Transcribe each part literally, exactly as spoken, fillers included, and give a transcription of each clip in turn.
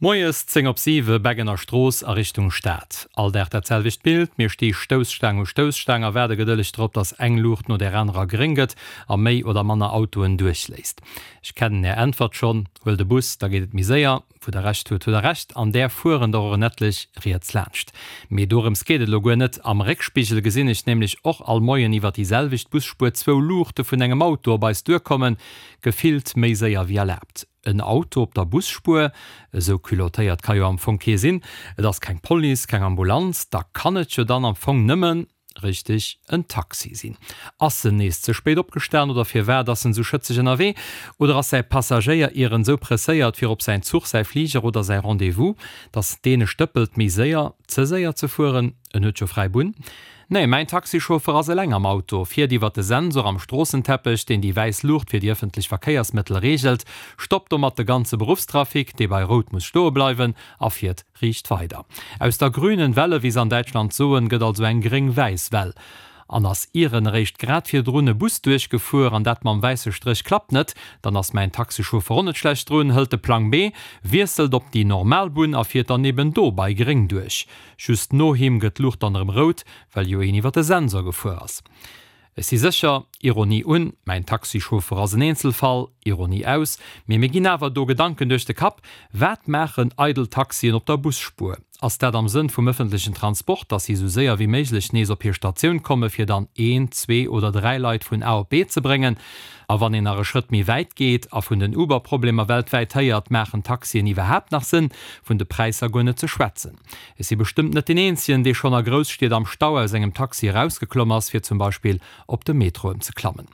Moies zéng op siwe, Beggener Strooss a Richtung Stad. All Dag dat selwecht Bild, mir sti Stousstaang u Stousstaang a waarde gedëlleg drop, dass eng Luucht no där anerer gréng gëtt a méi oder manner Autoen duerchléisst. Ech kennen Är Äntwert schonn, Huel de Bus, da geet et méi séier. Wou Der Recht hutt, hutt Der Recht, an där fueren der och en etlech riets laanscht. Mee dorëms geet et elo guer net. Am Réckspigel gesinn ech nämlech och all Moien iwwer déi selwecht Busspuer zwou Luuchte vun engem Auto op eis duerkommen, gefillt méi séier wéi erlaabt. En Auto op der Busspuer? Esou culottéiert ka jo am Fong kee sinn. Et ass keng Police, keng Ambulanz, da kann et jo dann am Fong nëmmen, richteg, en Taxi sinn. Ass en nees ze spéit opgestan oder firwat ass en esou schëtzeg ënnerwee? Oder ass säi Passagéier ieren esou presséiert fir op säin Zuch, säi Fliger oder säi Rendez-vous, dass deen e stëppelt méi séier, ze séier ze fueren? En huet jo fräi Bunn. Nee, mäin Taxichauffer ass eleng am Auto, fiert iwwer de Sensor am Stroossenteppech, deen déi wäiss Luucht fir déi ëffentlech Verkéiersmëttel reegelt, stoppt domat de ganze Beruffstrafic, dee bei Rout muss stoe bleiwen, a fiert riicht weider. Aus der grünen Welle, wéi se an Däitschland soen, gëtt also eng gréng-wäiss Well. An ass ieren eréischt grad virdrun e Bus duerchgefuer an dat mam wäisse Stréch klappt net, dann ass mäin Taxichauffer och net schlecht drun, hëlt de Plang B, wiesselt op déi normal Bunn a fiert dann eben do bei gréng duerch. Just no him gëtt d'Luucht dann erëm rout, well jo een iwwer de Sensor gefuer ass. Ech si sécher, Ironie un, mäin Taxichauffer ass en Eenzelfall, Ironie aus, mee mir ginn awer do Gedanken duerch de Kapp, Wat maachen eidel Taxien op der Busspuer? Ass dat am Sënn vum ëffentlechen Transport, dass si esou séier wéi méiglech nees op hir Statioun komme fir dann een, zwee oder dräi Leit vun A op B ze bréngen? A wann een nach e Schrëtt méi wäit geet a vun den Uber-Problemer weltwäit héiert, maachen Taxien iwwerhaapt nach Sënn? Vun de Präisser guer net ze schwätzen. Ech si bestëmmt net deen Eenzegen, dee schonn a Grousstied am Stau aus engem Taxi erausgeklomm ass, fir zum Beispill op de Metro ëmzeklammen.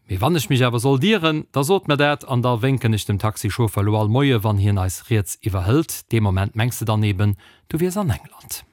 Mee wann ech mech awer sollt ieren, da sot mer dat an da wénken ech dem Taxichauffer elo all Moie wann hien eis riets iwwerhëlt. Dee Moment mengs de dann eben, du wiers an England.